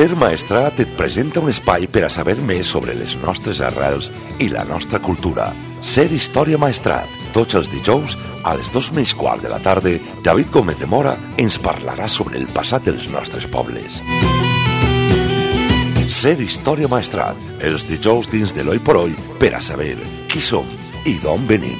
Ser Maestrat et presenta un espai per a saber més sobre les nostres arrels i la nostra cultura. Ser Història Maestrat. Tots els dijous, a les 2:15 de la tarda, David Gómez de Mora ens parlarà sobre el passat dels nostres pobles. Ser Història Maestrat. Els dijous dins de l'Oi por Oi per a saber qui som i d'on venim.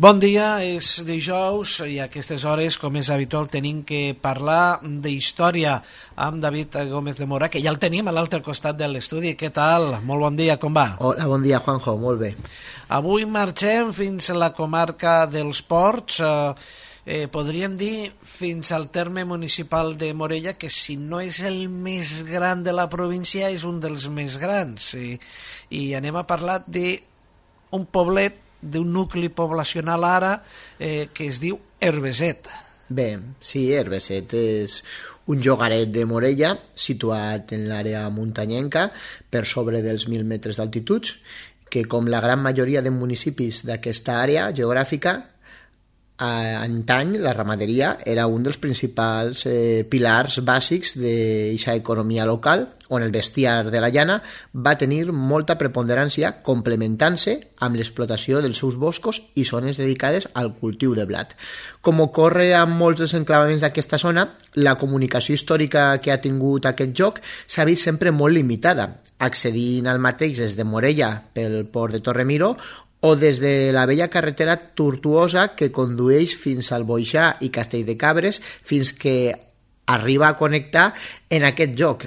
Bon dia, és dijous i a aquestes hores, com és habitual, tenim que parlar d'història amb David Gómez de Mora, que ja el tenim a l'altre costat de l'estudi. Què tal? Molt bon dia, com va? Hola, bon dia, Juanjo, molt bé. Avui marxem fins a la comarca dels Ports, podríem dir fins al terme municipal de Morella, que si no és el més gran de la província, és un dels més grans. I anem a parlar d'un poblet, d'un nucli poblacional ara que es diu Herbeset. Bé, sí, Herbeset és un llogaret de Morella situat en l'àrea muntanyenca per sobre dels 1.000 metres d'altitud, que com la gran majoria de municipis d'aquesta àrea geogràfica, antany la ramaderia era un dels principals pilars bàsics d'aquesta economia local, on el bestiar de la llana va tenir molta preponderància, complementant-se amb l'explotació dels seus boscos i zones dedicades al cultiu de blat. Com ocorre amb molts dels enclavaments d'aquesta zona, la comunicació històrica que ha tingut aquest lloc s'ha vist sempre molt limitada, accedint al mateix des de Morella pel port de Torremiro o des de la vella carretera tortuosa que condueix fins al Boixà i Castell de Cabres, fins que arriba a connectar en aquest lloc.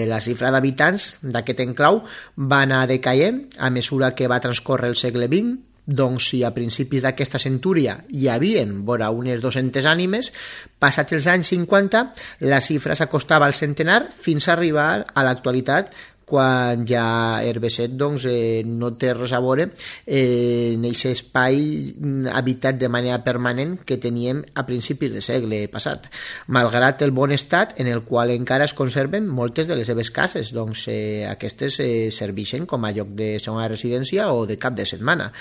La xifra d'habitants d'aquest enclau va anar decaient a mesura que va transcórrer el segle XX. Doncs si a principis d'aquesta centúria hi havien vora unes 200 ànimes, passats els anys 50 la xifra s'acostava al centenar fins a arribar a l'actualitat, quan ja Herbeset no té res a veure en aquest espai habitat de manera permanent que teníem a principis de segle passat, malgrat el bon estat en el qual encara es conserven moltes de les seves cases. Aquestes serveixen com a lloc de segona residència o de cap de setmana.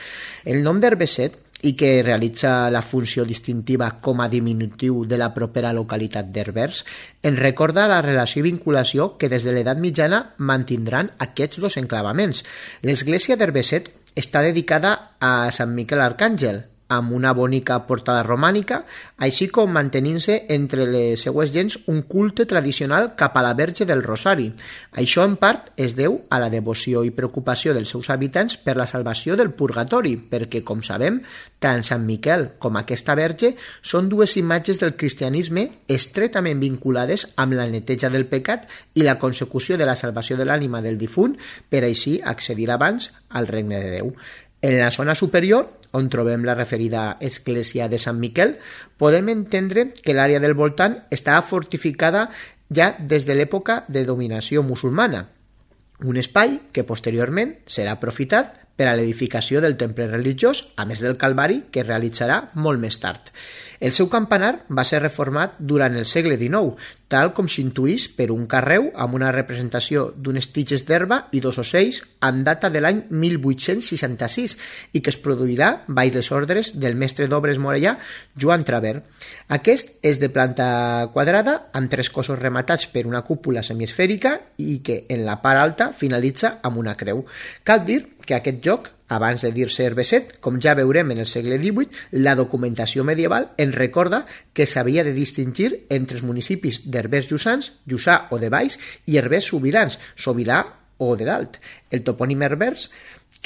El nom d'Herbeset, i que realitza la funció distintiva com a diminutiu de la propera localitat d'Herbers, ens recorda la relació i vinculació que des de l'edat mitjana mantindran aquests dos enclavaments. L'església d'Herbeset està dedicada a Sant Miquel Arcàngel, amb una bonica portada romànica, així com mantenint-se entre les seues gents un culte tradicional cap a la Verge del Rosari. Això en part es deu a la devoció i preocupació dels seus habitants per la salvació del purgatori, perquè, com sabem, tant Sant Miquel com aquesta Verge són dues imatges del cristianisme estretament vinculades amb la neteja del pecat i la consecució de la salvació de l'ànima del difunt per així accedir abans al regne de Déu. En la zona superior, on trobem la referida església de Sant Miquel, podem entendre que l'àrea del voltant estava fortificada ja des de l'època de dominació musulmana, un espai que posteriorment serà aprofitat per a l'edificació del temple religiós, a més del Calvari, que es realitzarà molt més tard. El seu campanar va ser reformat durant el segle XIX, tal com s'intuïx per un carreu amb una representació d'unes tiges d'herba i dos ocells amb data de l'any 1866 i que es produirà baix les ordres del mestre d'obres morellà Joan Traver. Aquest és de planta quadrada amb tres cossos rematats per una cúpula semiesfèrica i que en la part alta finalitza amb una creu. Cal dir que aquest lloc, abans de dir-se Herbeset, com ja veurem en el segle XVIII, la documentació medieval ens recorda que s'havia de distingir entre els municipis d'Herbers Lluçans, Lluçà o de Baix, i Herbers Sobirans, Sobirà o de Dalt. El topònim Herbers,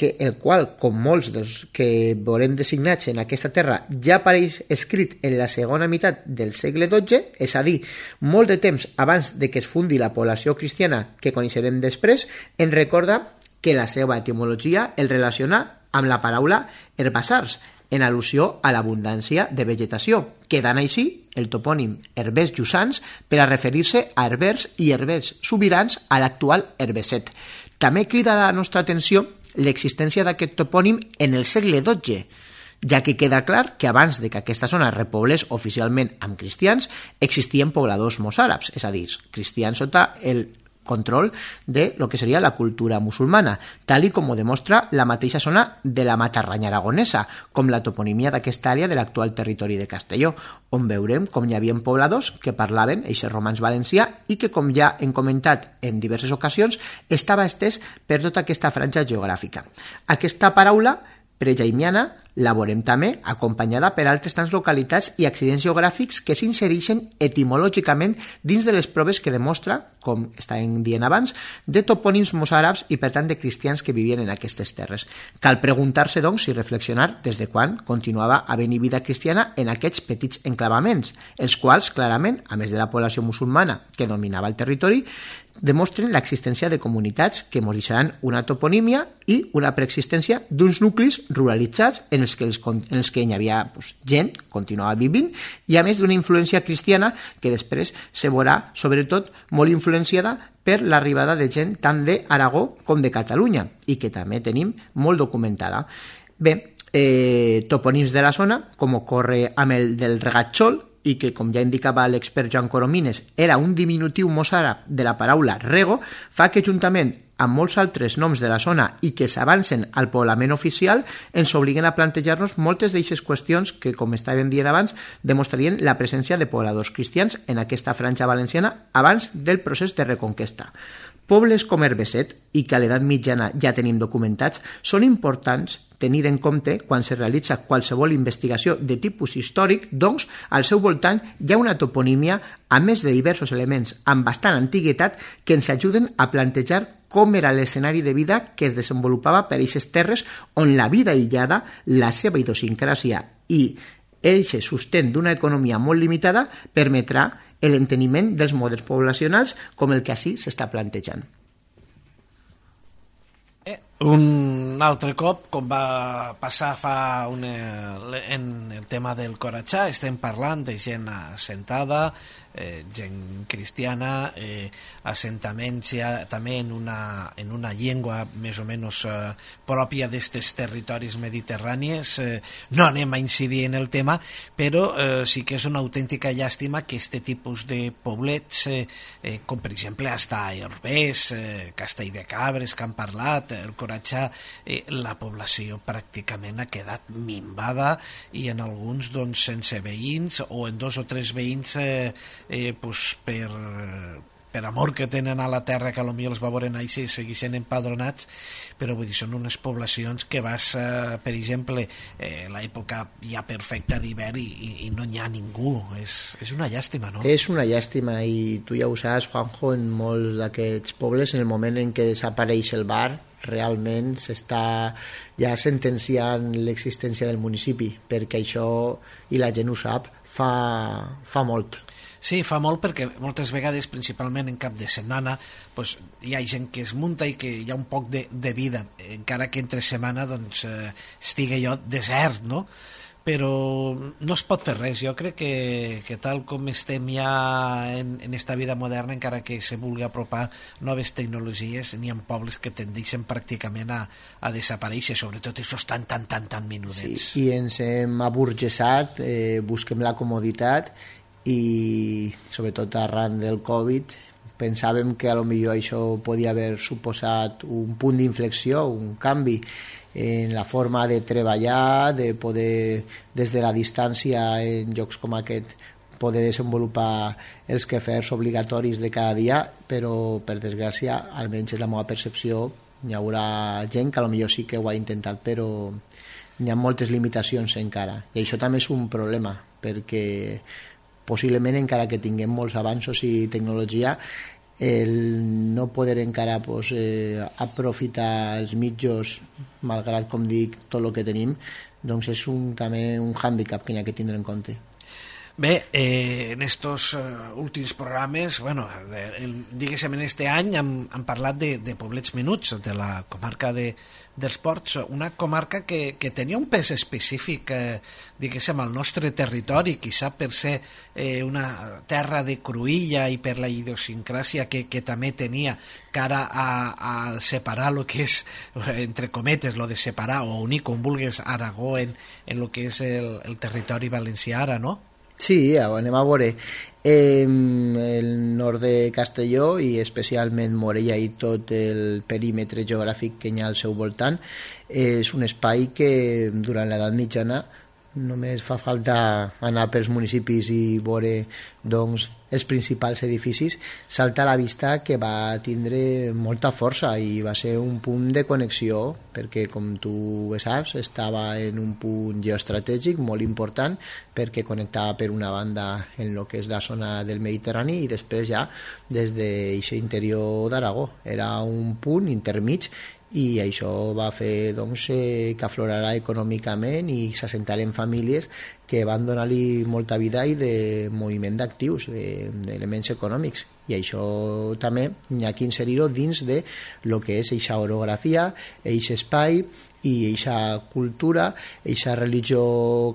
el qual, com molts dels que veurem designats en aquesta terra, ja apareix escrit en la segona meitat del segle XII, és a dir, molt de temps abans de que es fundi la població cristiana que coneixerem després, ens recorda que la seva etimologia el relaciona amb la paraula herbassars, en al·lusió a l'abundància de vegetació, quedant així el topònim Herbers Lluçans per a referir-se a Herbers i Herbers Sobirans a l'actual Herbeset. També crida la nostra atenció l'existència d'aquest topònim en el segle XII, ja que queda clar que abans de que aquesta zona es repoblés oficialment amb cristians, existien pobladors mossàrabs, és a dir, cristians sota el control de lo que seria la cultura musulmana, tal i com ho demostra la mateixa zona de la Matarranya aragonesa, com la toponimia d'aquesta àrea de l'actual territori de Castelló, on veurem com hi havia pobladors que parlaven eixe romanç valencià i que, com ja hem comentat en diverses ocasions, estava estès per tota aquesta franja geogràfica. Aquesta paraula prejaimiana la veurem també acompanyada per altres tants localitats i accidents geogràfics que s'insereixen etimològicament dins de les proves que demostra, com estàvem dient abans, de topònims mossàrabs i per tant de cristians que vivien en aquestes terres. Cal preguntar-se, doncs, i reflexionar des de quan continuava havent-hi vida cristiana en aquests petits enclavaments, els quals, clarament, a més de la població musulmana que dominava el territori, demostren l'existència de comunitats que ens deixaran una toponímia i una preexistència d'uns nuclis ruralitzats en els que hi havia gent, continuava vivint, i a més d'una influència cristiana que després se veurà, sobretot, molt influenciada per l'arribada de gent tant d'Aragó com de Catalunya, i que també tenim molt documentada. Bé, topònims de la zona, com ocorre amb el del Regatxol, i que, com ja indicava l'expert Joan Coromines, era un diminutiu mossàrab de la paraula rego, fa que, juntament amb molts altres noms de la zona i que s'avancen al poblament oficial, ens obliguen a plantejar-nos moltes d'eixes qüestions que, com estàvem dient abans, demostrarien la presència de pobladors cristians en aquesta franja valenciana abans del procés de reconquesta. Pobles com Herbeset, i que a l'edat mitjana ja tenim documentats, són importants tenir en compte quan se realitza qualsevol investigació de tipus històric, doncs al seu voltant hi ha una toponímia, a més de diversos elements amb bastant antiguitat, que ens ajuden a plantejar com era l'escenari de vida que es desenvolupava per aquestes terres on la vida aïllada, la seva idiosincràsia i eixe sostén d'una economia molt limitada permetrà l'enteniment dels models poblacionals com el que així s'està plantejant. Un altre cop, com va passar en el tema del Coratxà, estem parlant de gent assentada, gent cristiana, assentaments ja també en una llengua més o menys pròpia d'estes territoris mediterranis. No anem a incidir en el tema, però sí que és una autèntica llàstima que este tipus de poblets, com per exemple hasta Herbers, Castelldecabres, que han parlat, el Coratxà, la població pràcticament ha quedat minvada i en alguns doncs sense veïns o en 2 o 3 veïns per amor que tenen a la terra, que potser els va veure néixer i segueixen empadronats, però vull dir, són unes poblacions que vas, per exemple, l'època ja perfecta d'hivern i no n'hi ha ningú. És una llàstima, no? És una llàstima, i tu ja ho saps, Juanjo, en molts d'aquests pobles, en el moment en què desapareix el bar, realment s'està ja sentenciant l'existència del municipi, perquè això, i la gent ho sap, fa molt. Sí, fa molt, perquè moltes vegades, principalment en cap de setmana, doncs, hi ha gent que es munta i que hi ha un poc de vida, encara que entre setmana doncs, estigui allò desert, no? Però no es pot fer res. Jo crec que tal com estem ja en esta vida moderna, encara que se vulgui apropar noves tecnologies, n'hi ha pobles que tendeixen pràcticament a desaparèixer, sobretot aquests tan minudets. Sí, i ens hem aburgesat, busquem la comoditat, i sobretot arran del Covid pensàvem que a lo millor això podia haver suposat un punt d'inflexió, un canvi en la forma de treballar, de poder des de la distància en llocs com aquest poder desenvolupar els quefers obligatoris de cada dia, però per desgràcia, almenys és la meva percepció, hi haurà gent que a lo millor sí que ho ha intentat, però hi ha moltes limitacions encara, i això també és un problema, perquè possiblement encara que tinguem molts avanços i tecnologia, el no poder encara aprofitar els mitjos, malgrat, com dic, tot el que tenim, doncs és també un hàndicap que hi ha que tindre en compte. Bé, en estos últims programes, bueno, diguéssim, en este any hem parlat de poblets menuts, de la comarca dels Ports, una comarca que tenia un pes específic, diguéssim, al nostre territori, quizà per ser una terra de cruïlla i per la idiosincràsia que també tenia, cara a separar el que és, entre cometes, lo de separar o unir, com vulguis, Aragó en el que és el territori valencià ara, no? Sí, anem a veure. El nord de Castelló i especialment Morella i tot el perímetre geogràfic que hi ha al seu voltant és un espai que durant l'edat mitjana només fa falta anar pels municipis i veure doncs, els principals edificis, salta a la vista que va tindre molta força i va ser un punt de connexió perquè, com tu bé saps, estava en un punt geoestratègic molt important perquè connectava per una banda en el que és la zona del Mediterrani i després ja des d'aquest interior d'Aragó. Era un punt intermig i això va fer doncs, que aflorarà econòmicament i s'assentaren famílies que van donar-li molta vida i de moviment d'actius, d'elements econòmics, i això també hi ha que inserir-ho dins de lo que és eixa orografia, eix espai i eixa cultura, eixa religió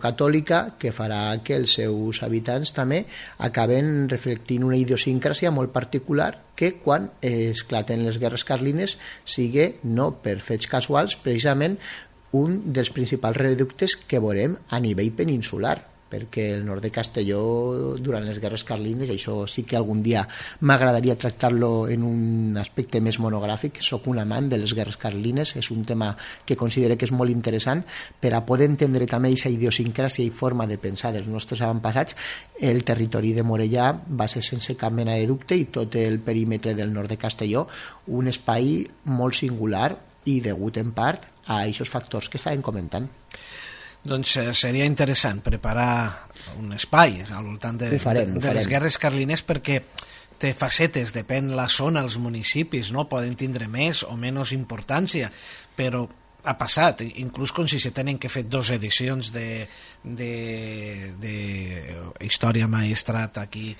catòlica que farà que els seus habitants també acaben reflectint una idiosincràsia molt particular que quan esclaten les guerres carlines sigui, no per fets casuals, precisament un dels principals reductes que veurem a nivell peninsular, perquè el nord de Castelló durant les guerres carlines, això sí que algun dia m'agradaria tractar-lo en un aspecte més monogràfic. Soc un amant de les guerres carlines, és un tema que considero que és molt interessant per a poder entendre també aquesta idiosincràsia i forma de pensar dels nostres avantpassats. El territori de Morella va ser sense cap mena de dubte i tot el perímetre del nord de Castelló un espai molt singular i degut en part a aquests factors que estàvem comentant. Doncs seria interessant preparar un espai al voltant de les guerres carlines perquè té facetes, depèn la zona, els municipis, no? Poden tindre més o menys importància, però ha passat, inclús com si se tenen que fer 2 edicions de història maestrat aquí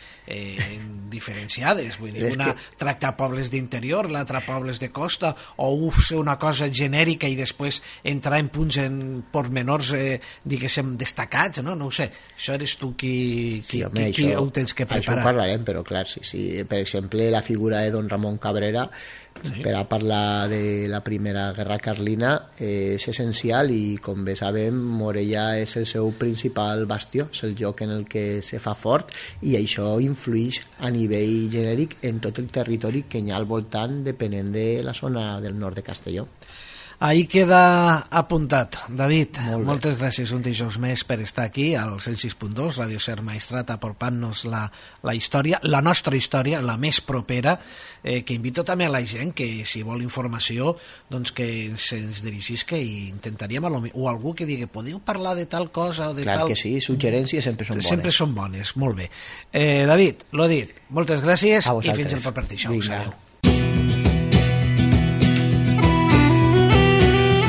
diferenciades, vull dir, una tractar pobles d'interior, l'altra pobles de costa, o fer una cosa genèrica i després entrar en punts en pormenors diguéssim destacats, no ho sé, això eres tu qui ho tens que preparar. Això parlarem, però clar, sí. Per exemple, la figura de Don Ramon Cabrera, sí, per a parlar de la primera guerra carlina és essencial i com bé sabem Morella és el seu principal bastió, és el lloc en el que se fa fort i això influeix a nivell genèric en tot el territori que hi ha al voltant depenent de la zona del nord de Castelló. Ahí queda apuntat. David, moltes gràcies un dijous més per estar aquí al 106.2, Ràdio Ser Maestrat, aportant-nos la història, la nostra història, la més propera, que invito també a la gent que si vol informació doncs que se'ns dirigís, que intentaríem o algú que digui, podeu parlar de tal cosa o de Clar tal... que sí, suggerències sempre són bones. Sempre són bones, molt bé. David, l'ho dit, moltes gràcies i fins al proper dijous.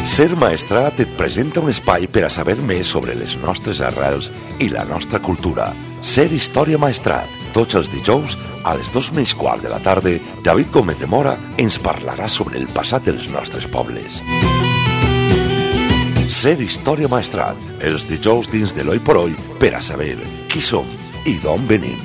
Ser Maestrat et presenta un espai per a saber més sobre les nostres arrels i la nostra cultura. Ser Història Maestrat. Tots els dijous, a les 2:15 de la tarda, David Gómez de Mora ens parlarà sobre el passat dels nostres pobles. Ser Història Maestrat. Els dijous dins de l'Hoy por Hoy per a saber qui som i d'on venim.